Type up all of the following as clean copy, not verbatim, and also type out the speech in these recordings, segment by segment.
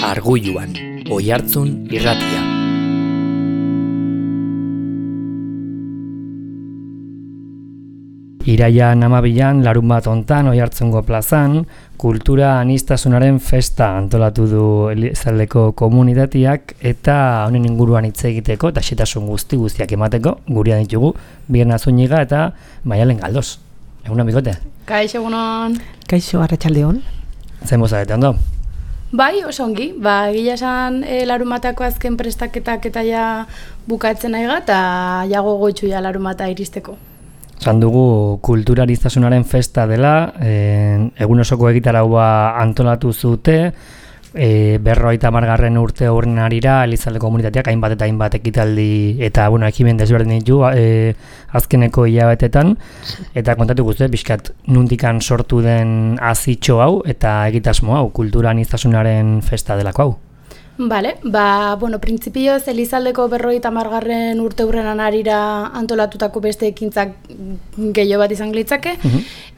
Argulluan, Oihartzun irratia. Iraian 12an, larunbat hontan, Oihartzungo plazan, kultura aniztasunaren festa antolatu du Elizaldeko komunitateak eta honen inguruan hitz egiteko eta xetasun guztiak emateko gurean ditugu Birna Zúñiga eta Maialen Galdos. Egunon, bikote? Kaixo, egunon. Kaixo, arratsaldeon. Zein bozarete, ondo? Bai, oso ongi. Gila esan larunbatako azken prestaketak eta ja bukatzen nahi eta jago goitxu ja larunbata iristeko. Esan dugu kultura aniztasunaren festa dela, egun osoko egitaraua antolatu zute, 50. urte horren harira Elizalde komunitateak hainbat eta hainbat ekitaldi eta ekimen desberdin ditu azkeneko hilabetetan, eta kontatu guzti, pixkat nuntikan sortu den azitxo hau eta egitasmo hau, kultura aniztasunaren festa delako hau. Bale, printzipioz Elizaldeko 50. urte hurrenan harira antolatutako beste ekintzak gehiago bat izan litzake.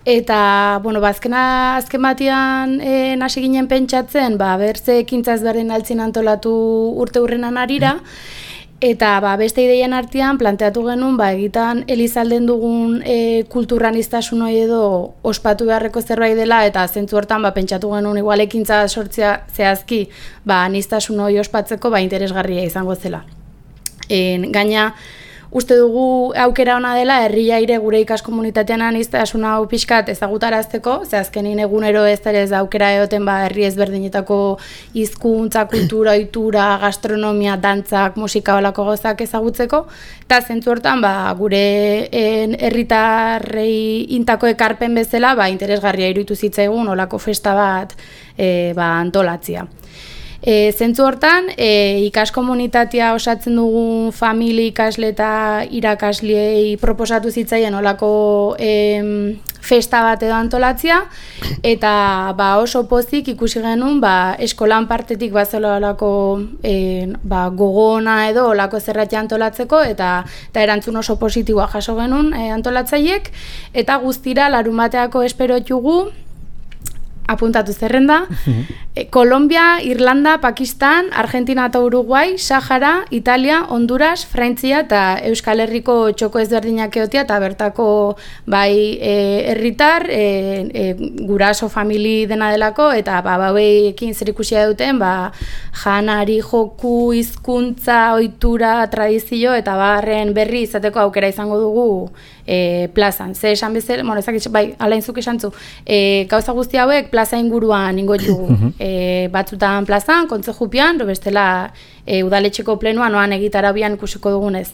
Eta, azken batian hasi ginen pentsatzen, bertze ekintza ezberdin altzin antolatu urte hurrenan harira, eta beste ideien artean planteatu genuen egitan Elizalden dugun kultura aniztasun hori edo ospatu beharreko zerbait dela, eta zentzu hortan pentsatu genuen igual ekintza sortzea zehazki aniztasun hori ospatzeko interesgarria izango zela. Gaina uste dugu aukera ona dela herriaire gure ikaskomunitatean aniztasun hau pixkat ezagutarazteko, ze azkenin egunero ez aukera egoten herri ezberdinetako hizkuntza, kultura, ohitura, gastronomia, dantzak, musika holako gozak ezagutzeko, eta zentzu hortan gure herritarrei intako ekarpen bezala interesgarria iruditu zitzaigun holako festa bat antolatzea. Zentzu hortan, ikaskomunitatea osatzen dugun famili, ikasle eta irakasleei proposatu zitzaien olako festa bat edo antolatzea, eta oso pozik ikusi genuen eskolan partetik bazela olako gogona edo olako zerratia antolatzeko, eta erantzun oso positiboa jaso genuen antolatzaiek, eta guztira larunbateako esperotugu, apuntatu zerrenda, Kolombia, Irlanda, Pakistan, Argentina eta Uruguai, Sahara, Italia, Honduras, Frantzia eta Euskal Herriko txoko ezberdinak egotea eta bertako herritar, guraso famili dena delako, eta bauekin zer ikusia duten, janari, joku, hizkuntza, ohitura, tradizio eta barren berri izateko aukera izango dugu plazan. Ze esan bezala, alainzuk esan zu, gauza guzti hauek plaza inguruan ingo dugu. Batzutan plazan, kontzejupian, bestela udaletxeko plenuan oan egitarabian ikusiko dugunez.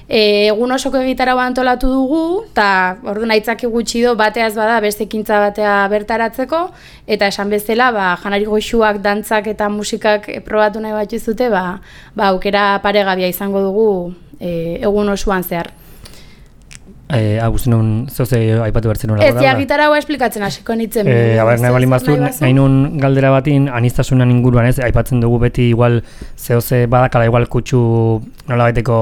Egun osoko egitarabua antolatu dugu, eta ordu naitzaki gutxi do bateaz bada beste ekintza batea bertaratzeko, eta esan bezala janari goxuak, dantzak eta musikak probatu nahi bat izute, aukera paregabia izango dugu egun osoan zehar. Agustinun, zeuze aipatu bertzen nola? Ez, gitarra esplikatzen hasiko nintzen. Nahi balin bazu, nahi nun galdera batin, aniztasunan inguruan ez, aipatzen dugu beti igual zeuze badakala igual kutsu nola baiteko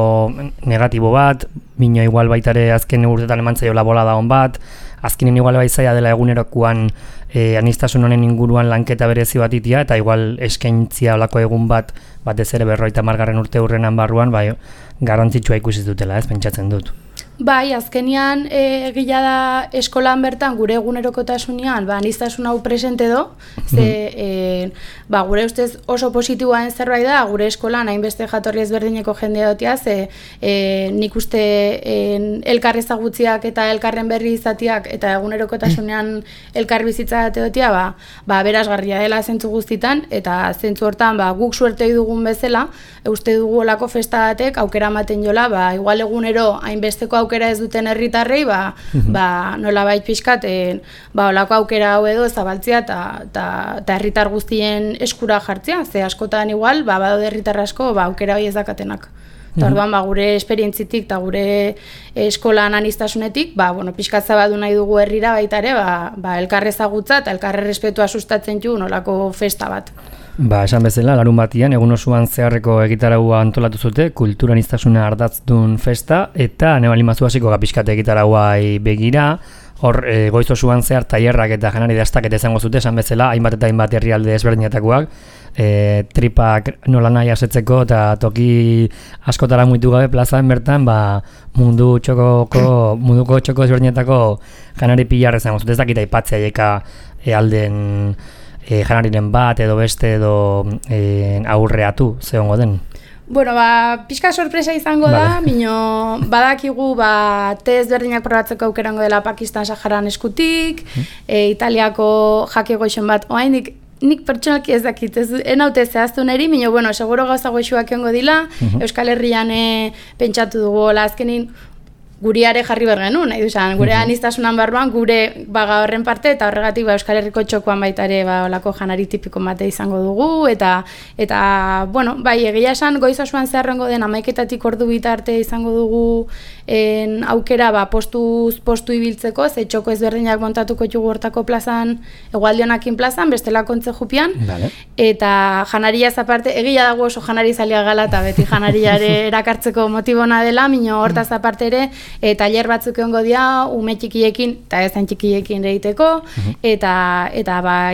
negatibo bat, bino igual baitare azken urtetan eman zaiola bolada hon bat, azkenen igual baizaia dela egunerokoan aniztasun honen inguruan lanketa berezi bat itia, eta igual eskaintzia olako egun bat, batez ere 50. urte hurrenan barruan, garrantzitsua ikusi dutela, ez, pentsatzen dut. Azkenian egila da eskolan bertan gure egunerokotasunean aniztasun hau presente do, ze gure ustez oso positiboa zerbait da, gure eskolan hainbeste jatorri ezberdineko jendea dotia, ze nik uste elkar ezagutziak eta elkarren berri izatiak eta egunerokotasunean elkar bizitza dotia, berazgarria dela zentzu guztitan, eta zentzu hortan guk suertei dugun bezala, uste dugu olako festa batek aukera ematen jola, igual egunero hainbesteko aukera ez duten herritarrei, nolabait pixkat, olako aukera hau edo zabaltzea eta herritar guztien eskura jartzea, ze askotan igual, badaude herritar asko, aukera hori ez dakatenak. Eta orduan, gure esperientzitik eta gure eskolan aniztasunetik, pixkat zabadu nahi dugu herrira baita ere, elkarre ezagutza eta elkarre respetua sustatzen du nolako festa bat. Esan bezala, larun batian, egun osoan zeharreko egitaraua antolatu zute, kultura aniztasuna ardatzdun festa, eta nebalin mazu hasiko pixkat egitarauai begira, hor goiz osoan zehar tailerrak eta janari dastaketa izango zute, esan bezala, hainbat eta hainbat herrialde ezberdinetakoak, tripak nola nahi asetzeko eta toki askotara muitu gabe plazan bertan munduko txoko ezberdinetako janari pilar izango zut, ez dakit aipatzea jeka alden janariren bat edo beste edo aurreatu zehongo den. Bueno, pixka sorpresa izango da, bino badakigu te ezberdinak probatzeko aukerango dela Pakistan Saharan eskutik, Italiako jake goixon bat, oraindik nik pertsonalki ez dakit, enaute zehaztu neri, bino, bueno, seguro gauza goixuak egongo dila, Euskal Herrian pentsatu dugu, azkenin guriare jarri bergenun, nahi duzan, gure aniztasunan barruan, gure horren parte, eta horregatik Euskal Herriko txokoan baita ere olako janari tipiko bate izango dugu, eta bueno, bai, egia esan, goiz osoan zeharrengo den 11:00 ordu bitarte izango dugu aukera postu ibiltzeko, ze txoko ezberdinak montatuko jugu hortako plazan, Hegoaldionakin plazan, bestela kontze jupian, eta janariaz aparte, egia dago oso janari zalia gala, eta beti janariare erakartzeko motibona dela, mino hortaz aparte ere, tailer batzuk egongo dira ume txikiekin eta ez hain txikiekin egiteko eta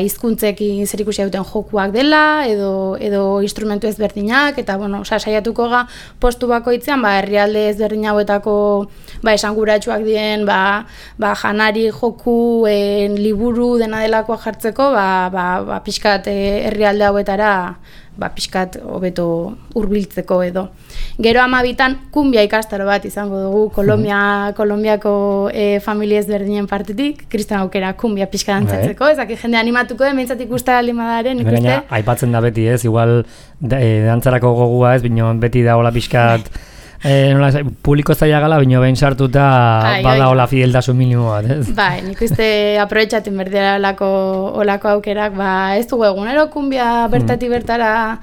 hizkuntzekin zerikusia duten jokuak dela edo instrumentu ezberdinak eta bueno, saiatuko ga postu bakoitzean herrialde ezberdin hauetako esanguratsuak dien janari joku liburu dena delakoa jartzeko pixkat herrialde hauetara pixkat hobeto hurbiltzeko edo. Gero 12an kumbia ikastaro bat izango dugu Kolombiako familia ezberdinen partetik, Kriston aukera kumbia pixka dantzatzeko, ezak jende animatuko den, behintzat ikusta alimadaren, ikuste? Aipatzen da beti ez, igual dantzarako gogua ez, bino beti da hola pixkat publiko zaila gala, bino behin sartuta bada hola fideltasun minimo bat, ez? Nik uste aprobetxatzen berdera olako aukerak, ez dugu egunero kumbia bertatik bertara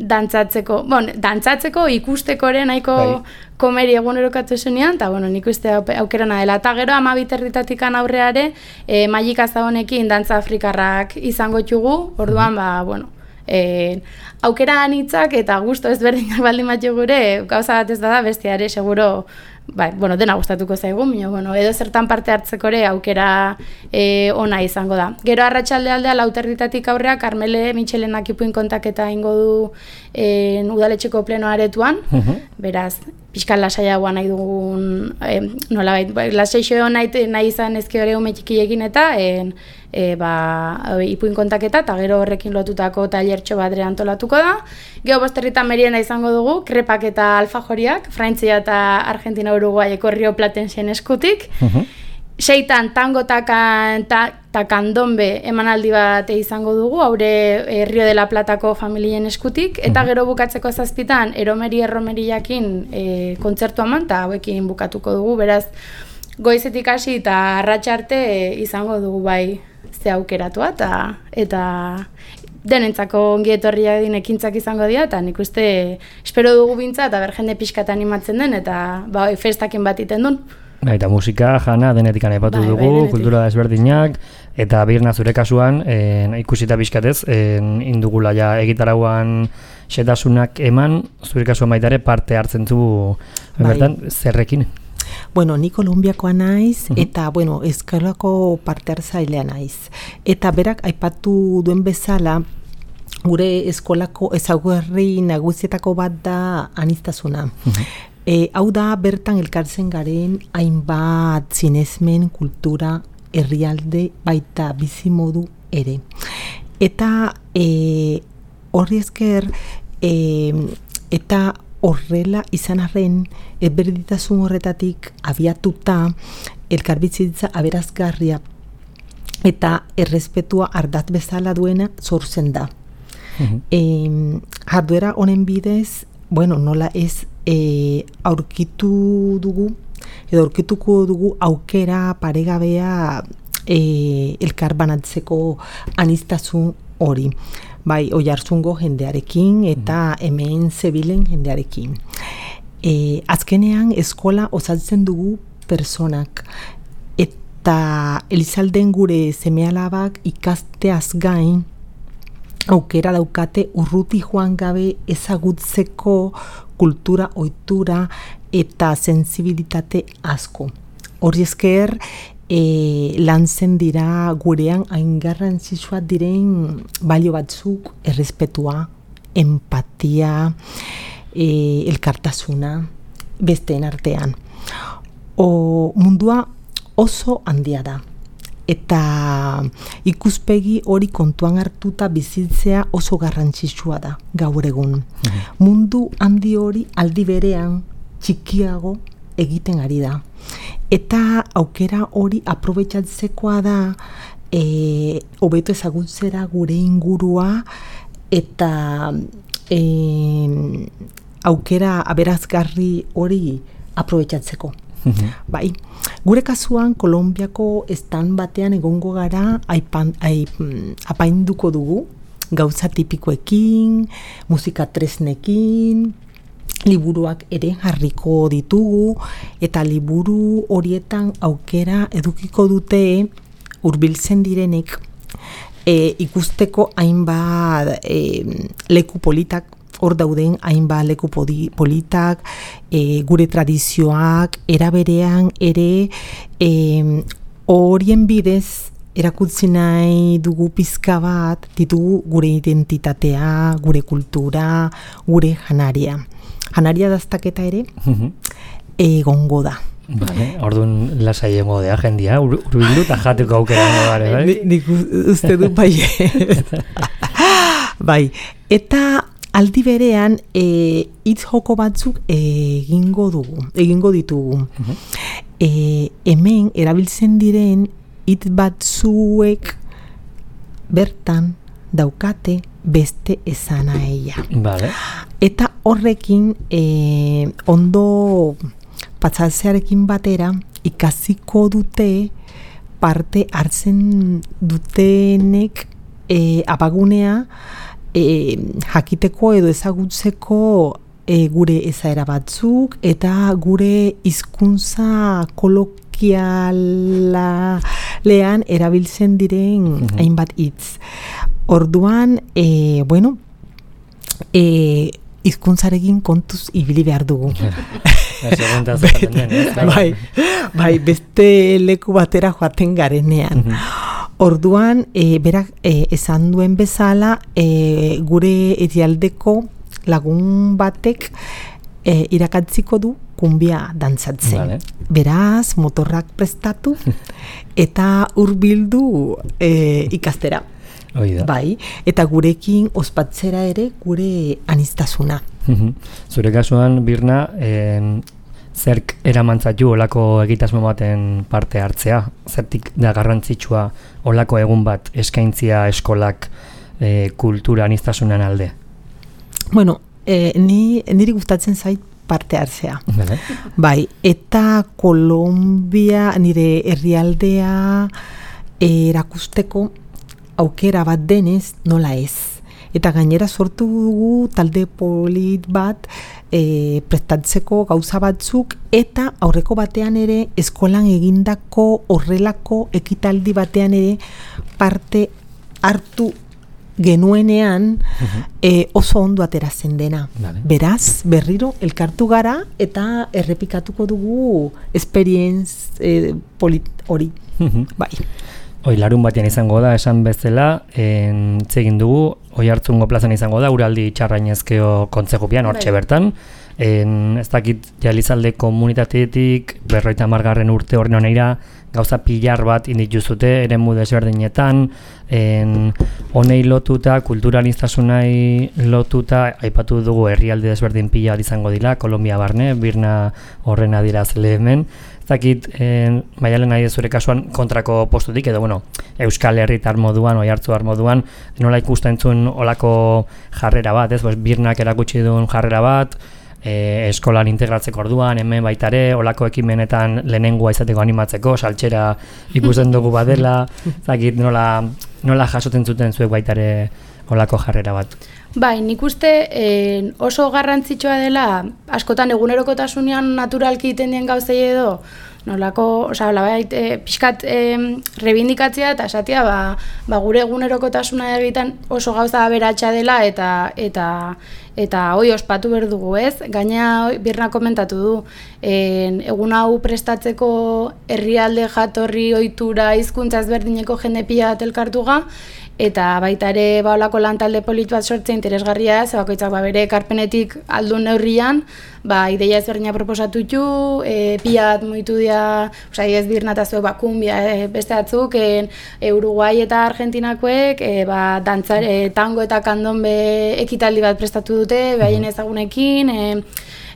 dantzatzeko, ikusteko ere nahiko komeri egunerokatu esunean, eta nik uste aukerana dela. Eta gero 12 aurreare, Magika Zabonekin dantza afrikarrak izango txugu, orduan, aukera anitzak eta gusto ezberdinak baldin batzu gure, gauza bat ez da bestiare, seguro, dena gustatuko zaigu, edo zertan parte hartzeko ere aukera ona izango da. Gero arratsalde aldea 4:00 aurrea, Karmele Mitxelenak ipuin kontaketa ingo du udaletxeko pleno aretuan, beraz, pixkan lasaiagoa nahi dugun, lasaixo nahi izan ezke hori ume txikiekin eta ipuin kontaketa eta gero horrekin lotutako tailertxo bat antolatuko da. Gero bosterritan merienda izango dugu, krepak eta alfajoriak, Frantzia eta Argentina Uruguaieko Rio Platensen eskutik. 6 tango eta kandombe emanaldi bat izango dugu, haure Rio de la Platako familien eskutik, eta gero bukatzeko 7 erromeriakin kontzertu eman, eta hauekin bukatuko dugu, beraz, goizetik hasi eta arratsarte izango dugu ze aukeratua, eta denentzako ongi etorria ekintzak izango dira, eta nik uste espero dugu bintza, eta jende pixkat animatzen den, eta festakin bat iten duen. Eta musika, jana, denetik aipatu dugu, kultura ezberdinak, eta birna zure kasuan, ikusita pixkatez, indugula egitarauan xetasunak eman, zure kasuan baitare parte hartzen zu, bertan, zerrekin? Bueno, ni Kolumbiakoa naiz, eta, eskolako parte hartzailea naiz. Eta berak aipatu duen bezala, gure eskolako ezaugarri nagusietako bat da aniztasuna. Hau da bertan elkartzen garen hainbat zinesmen, kultura, herrialde, baita bizimodu ere. Eta horri esker, eta horrela izan arren, berdintasun horretatik abiatuta elkarbizitza aberazgarria eta errespetua ardatz bezala duena sortzen da. Jarduera honen bidez, nola ez aurkituko dugu aukera paregabea elkar banatzeko aniztasun hori. Oiartzungo jendearekin eta hemen zebilen jendearekin. Azkenean eskola osatzen dugu personak eta Elizalden gure seme-alabak ikasteaz gain aukera daukate urruti joan gabe ezagutzeko kultura, ohitura eta sensibilitate asko. Hori esker lantzen dira gurean hain garrantzitsuak diren balio batzuk, errespetua, empatia, elkartasuna, besteen artean. Mundua oso handia da. Eta ikuspegi hori kontuan hartuta bizitzea oso garrantzitsua da gaur egun. Mundu handi hori aldi berean txikiago egiten ari da. Eta aukera hori aprobetxatzekoa da hobeto ezagutzera gure ingurua eta aukera aberazgarri hori aprobetxatzeko. Bai, gure kasuan Kolonbiako estan batean egongo gara apainduko dugu gauza tipikoekin, musika tresnekin, liburuak ere jarriko ditugu eta liburu horietan aukera edukiko dute hurbiltzen direnek ikusteko hainbat leku politak. Hor dauden hainbat leku politak, gure tradizioak, eraberean ere horien bidez erakutsi nahi dugu pizka bat, ditugu gure identitatea, gure kultura, gure janaria. Janaria daztaketa ere egongo da. Vale, orduan lasai egongo da jendia, urbildu eta jateko aukera gara, bai? Nik uste du bai. Bai, eta aldi berean hitz joko batzuk egingo ditugu. Hemen erabiltzen diren hitz batzuek bertan daukate beste esanahia. Vale. Eta horrekin ondo patzatzearekin batera ikasiko dute parte hartzen dutenek abagunea jakiteko edo ezagutzeko gure ezaera batzuk eta gure hizkuntza kolokialean erabiltzen diren hainbat hitz. Orduan, hizkuntzarekin kontuz ibili behar dugu. Bai, beste leku batera joaten garenean. Orduan, berak esan duen bezala, gure herrialdeko lagun batek irakatziko du kumbia dantzatzen. Vale. Beraz, motorrak prestatu eta hurbildu ikastera. Oida. Bai, eta gurekin ospatzera ere gure aniztasuna. Zure kasuan, Birna, zerk eramantzatu olako egitasmo baten parte hartzea? Zertik da garrantzitsua olako egun bat eskaintzia eskolak kultura aniztasunan alde? Bueno, niri gustatzen zait parte hartzea. Vale. Bai, eta Kolombia nire herrialdea erakusteko aukera bat denez nola ez. Eta gainera sortu dugu talde polit bat prestatzeko gauza batzuk eta aurreko batean ere eskolan egindako horrelako ekitaldi batean ere parte hartu genuenean oso ondo ateratzen dena. Vale. Beraz, berriro elkartu gara eta errepikatuko dugu esperientz polit hori. Bai. Larun batean izango da, esan bezala, egin dugu, Oiartzungo plazan izango da, Uraldi Txarrainezkeo kontzejupian, hortxe bertan. Ez dakit Elizalde komunitateetik, 50. urte horren honeira, gauza pilar bat indituzute, eremu desberdinetan, honei lotuta, kulturaliztasunai lotuta, aipatu dugu herrialde desberdin pila izango dira, Kolombia barne, Birna horren adirazle hemen. Zakit, Maialen nahi zure kasuan kontrako postutik, edo Euskal Herritar moduan, Oiartzuar moduan, nola ikusten zuen olako jarrera bat, ez? Birnak erakutsi duen jarrera bat, eskolan integratzeko orduan, hemen baitare, olako ekimenetan lehenengoa izateko animatzeko, saltxera ikusten dugu badela, zakit, nola jasoten zuten zuek baitare olako jarrera bat. Bai, nik uste oso garrantzitsua dela, askotan egunerokotasunean naturalki egiten dien gauzei edo, nolako, pixkat rebindikatzea eta esatia, gure egunerokotasuna egiten oso gauza aberatsa dela eta hoi ospatu behar dugu, ez? Gaina Birna komentatu du, egun hau prestatzeko herrialde jatorri ohitura hizkuntza ezberdineko jende pila bat elkartuga, eta baita ere olako lantalde polit bat sortzea interesgarria, ze bakoitzak bere ekarpenetik aldun neurrian, ideia ezberdina proposatu ditu, pila bat mugitu dira, ez Birna eta zuek kumbia beste batzuk, Uruguai eta Argentinakoek, tango eta kandombe ekitaldi bat prestatu dute, behaien ezagunekin,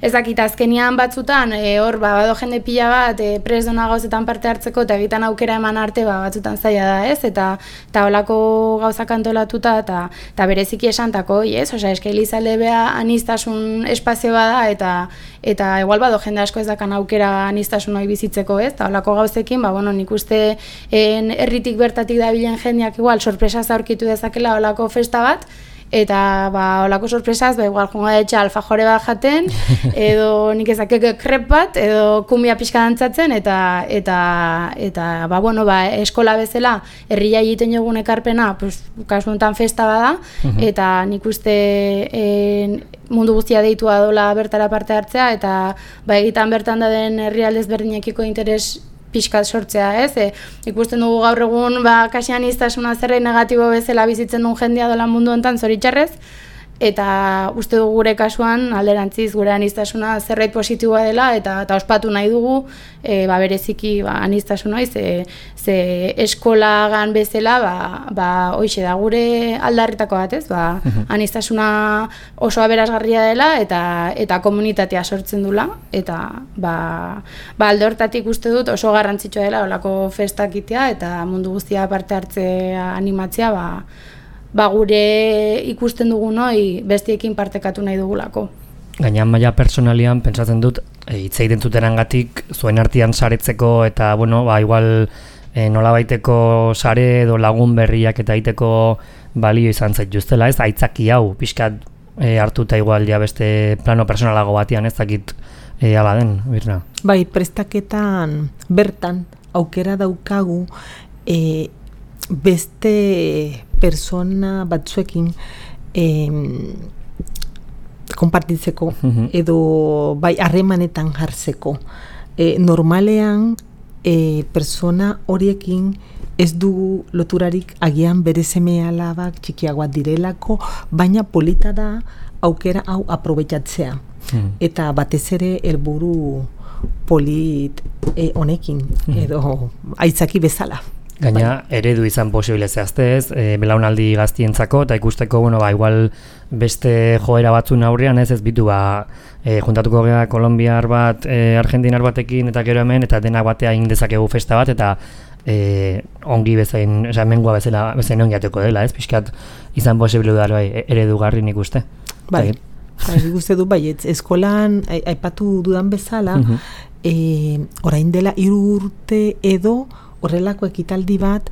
ez dakit azkenian batzutan, hor bado jende pila bat prest dona gauzetan parte hartzeko eta egiten aukera eman arte batzutan zaila da, ez? Eta holako gauzak antolatuta eta bereziki esantako, ez? Osea, eske Elizalde bea aniztasun espazio bada eta igual bado jende asko ez dakan aukera aniztasun hori bizitzeko, ez? Eta holako gauzekin, nik uste herritik bertatik dabilen jendeak igual sorpresa aurkitu dezakela holako festa bat, eta holako sorpresaz, igual jungo etxe alfajore bat jaten, edo nik ezakek krep bat, edo kumbia pixka dantzatzen, eta eskola bezala herria egiten jogun ekarpena, kasu honetan festa bada, eta nik uste mundu guztia deitua dola bertara parte hartzea, eta egitan bertan da den herrialde ezberdinekiko interes pixkat sortzea, ez? Ikusten dugu gaur egun, kasi aniztasuna zerbait negatibo bezala bizitzen duen jendea dola mundu honetan zoritxarrez, eta uste dugu gure kasuan alderantziz gure aniztasuna zerbait positiboa dela eta ospatu nahi dugu bereziki aniztasuna ze eskolagan bezala hoixe da gure aldarritako bat, ez? Aniztasuna oso aberasgarria dela eta komunitatea sortzen dula eta alde hortatik uste dut oso garrantzitsua dela holako festak itea eta mundu guztia parte hartzea animatzea gure ikusten dugun hoi bestiekin partekatu nahi dugulako. Gainan maila personalian pentsatzen dut hitz egiten zutenengatik zuen artean saretzeko eta igual nolabaiteko sare edo lagun berriak eta egiteko balio izan zaituztela, ez? Aitzaki hau pixkat hartuta igual ja beste plano personalago batean, ez dakit hala den, Birna. Bai, prestaketan bertan aukera daukagu beste persona batzuekin konpartitzeko edo harremanetan jartzeko. Normalean persona horiekin ez dugu loturarik agian bere seme alabak txikiagoak direlako, baina polita da aukera hau aprobetxatzea. Eta batez ere helburu polit honekin edo aitzaki bezala. Gaina eredu izan posible zehaztez, belaunaldi gaztientzako, eta ikusteko, igual beste joera batzun aurrean ez bitu, juntatuko gara kolombiar bat, argentinar batekin, eta gero hemen, eta denak batea egin dezakegu festa bat, eta ongi bezain, mengua bezain ongi ateko dela, ez? Pixkat izan posible da eredu garri nik uste. Bai, nik uste du baietz, eskolan aipatu dudan bezala, orain dela 3 urte edo, horrelako ekitaldi bat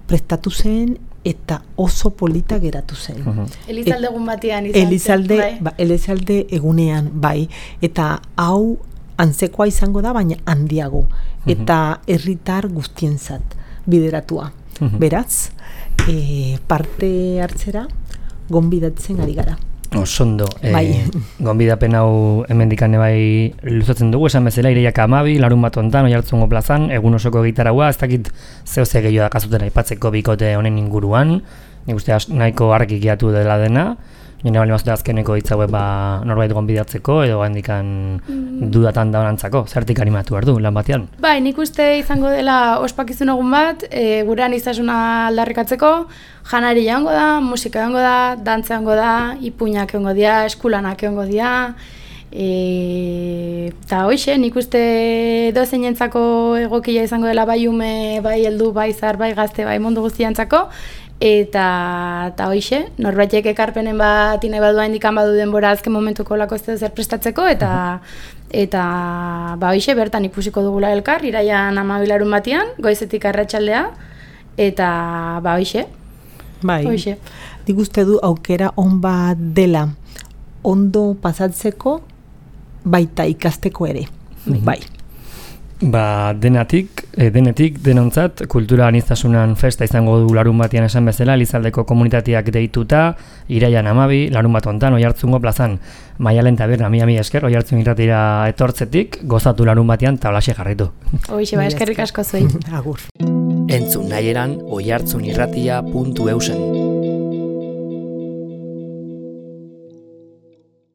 prestatu zen eta oso polita geratu zen. Elizalde egun batean izan zen. Elizalde egunean, bai. Eta hau antzekoa izango da, baina handiago. Eta herritar guztientzat bideratua. Beraz, parte hartzera gonbidatzen ari gara. Osondo, gonbidapen hau hemendikane bai luzatzen dugu, esan bezala Ireiak 12, larun bat hontan, Oiartzungo plazan, egun osoko gitaraua, ez dakit zehose gehiago dakazuten aipatzeko bikote honen inguruan, nik uste nahiko argi gehiatu dela dena, nire bali mazute azkeneko hitzaue norbait gonbidatzeko, edo handikan dudatan daunantzako, zertik animatu behar du lan batean? Bai, nik uste izango dela ospakizun egun bat, gure aniztasuna aldarrikatzeko, janari joango da, musika joango da, dantza joango da, ipuinak joango dira, eskulanak joango dira, eta hoxe, nik uste dozenentzako egokia izango dela bai ume, bai heldu, bai zar, bai gazte, bai mundu guztiantzako, eta hoxe, norbaitek ekarpenen bat nahi badua indikan badu denbora azken momentuko lako ez zer prestatzeko, eta hoxe, bertan ikusiko dugula elkar, iraian 12 larun batean, goizetik arratsaldea, eta hoxe. Bai, nik uste du aukera on bat dela ondo pasatzeko baita ikasteko ere. Bai. Ba, denetik denontzat kultura aniztasunan festa izango du larun batian esan bezala, Elizaldeko komunitateak deituta, iraian 12, larun bat hontan Oiartzungo plazan, Maialen taberna, mi esker, Oiartzun irratira etortzetik, gozatu larun batian tablaxe jarritu. Hoixe, ba, eskerrik asko zuei. Agur. Entzun nahieran oiartzunirratia.eusen.